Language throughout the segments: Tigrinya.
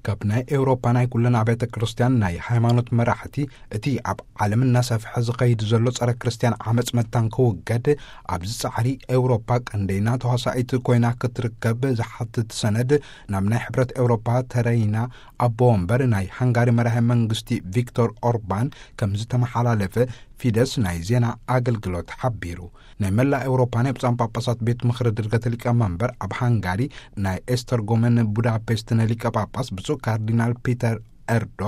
ካብ ናይ ኤውሮፓ ናይ ኩለን ኣብያተ ክርስቲያን ናይ ሃይማኖት መራሕቲ፣ እቲ ኣብ ዓለም እናሰፍሐ ዝኸይድ ዘሎ ጸረ ክርስቲያን ዓመጽ መታን ክውገድ፣ ኣብዚ ጻዕሪ ኤውሮፓ ቀንደይና ተዋሳኢት ኮይና ክትርከብ ዝሓትት ሰነድ ናብ ናይ ሕብረት ኤውሮፓ ተረይና ኣቦ ወንበር ናይ ሃንጋሪ መራሒ መንግስቲ ቪክቶር ኦርባን ከም ዝተመሓላለፈ ፊደስ ናይ ዜና ኣገልግሎት ሓቢሩ። ናይ መላእ ኤውሮፓ ናይ ብፁዓን ጳጳሳት ቤት ምኽሪ ድርገት ሊቀ መንበር ኣብ ሃንጋሪ ናይ ኤስተርጎመን ቡዳፔስት ናይ ሊቀ ጳጳስ ብፁዕ ካርዲናል ፒተር ኤርዶ፣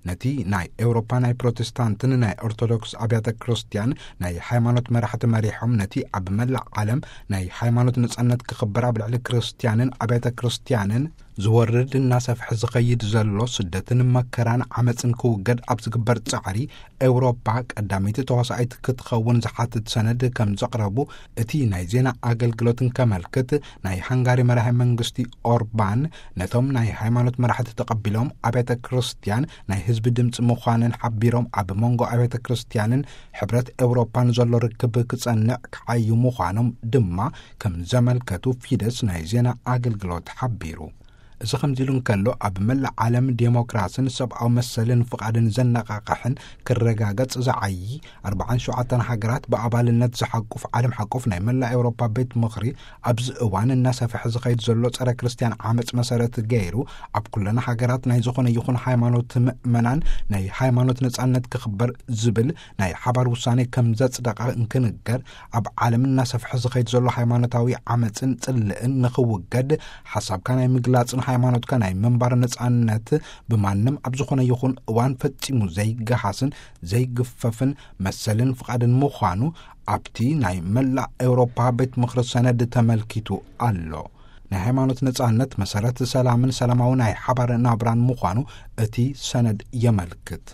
ነቲ ናይ ኤውሮፓ ናይ ፕሮቴስታንትን ናይ ኦርቶዶክስ ኣብያተ ክርስቲያን ናይ ሃይማኖት መራሕቲ መሪሖም፣ ነቲ ኣብ መላእ ዓለም ናይ ሃይማኖት ነጻነት ክኽበር፣ ኣብ ልዕሊ ክርስቲያንን ኣብያተ ክርስቲያንን ዝወርድ እናሰፍሐ ዝኸይድ ዘሎ ስደትን መከራን ዓመጽን ክውገድ ኣብ ዝግበር ጻዕሪ፣ ኤውሮፓ ቀዳመይቲ ተዋሳኢት ክትኸውን ዝሓትት ሰነድ ከም ዘቕረቡ እቲ ናይ ዜና ኣገልግሎትን ከመልክት፣ ናይ ሃንጋሪ መራሒ መንግስቲ ኦርባን ነቶም ናይ ሃይማኖት መራሕቲ ተቐቢሎም፣ ኣብያተ ክርስቲያን ናይ ህዝቢ ድምፂ ምዃነን ሓቢሮም፣ ኣብ መንጎ ኣብያተ ክርስቲያንን ሕብረት ኤውሮፓን ዘሎ ርክብ ክጸንዕ ክዓዩ ምዃኖም ድማ ከም ዘመልከቱ ፊደስ ናይ ዜና ኣገልግሎት ሓቢሩ። እዚ ከምዚ ኢሉ እንከሎ፣ ኣብ መላእ ዓለም ዴሞክራስን ሰብኣዊ መሰልን ፍቓድን ዘነቓቕሕን ክረጋገጽ ዝዓዪ ኣርባዓን ሸውዓተን ሃገራት ብኣባልነት ዝሓቁፍ ዓለም ሓቆፍ ናይ መላእ ኤውሮፓ ቤት ምኽሪ፣ ኣብዚ እዋን እናሰፍሐ ዝኸይድ ዘሎ ጸረ ክርስቲያን ዓመጽ መሰረት ገይሩ፣ ኣብ ኩለን ሃገራት ናይ ዝኾነ ይኹን ሃይማኖት ምእመናን ናይ ሃይማኖት ነጻነት ክኽበር ዝብል ናይ ሓባር ውሳኔ ከም ዘጽደቐ እንክንገር፣ ኣብ ዓለም እናሰፍሐ ዝኸይድ ዘሎ ሃይማኖታዊ ዓመጽን ጽልእን ንኽውገድ፣ ሓሳብካ ናይ ምግላጽን ሃይማኖትካ ናይ ምንባር ነጻነት ብማንም ኣብ ዝኾነ ይኹን እዋን ፈጺሙ ዘይገሃስን ዘይግፈፍን መሰልን ፍቓድን ምዃኑ ኣብቲ ናይ መላእ ኤውሮፓ ቤት ምኽሪ ሰነድ ተመልኪቱ ኣሎ። ናይ ሃይማኖት ነጻነት መሰረት ሰላምን ሰላማዊ ናይ ሓባር ናብራን ምዃኑ እቲ ሰነድ የመልክት።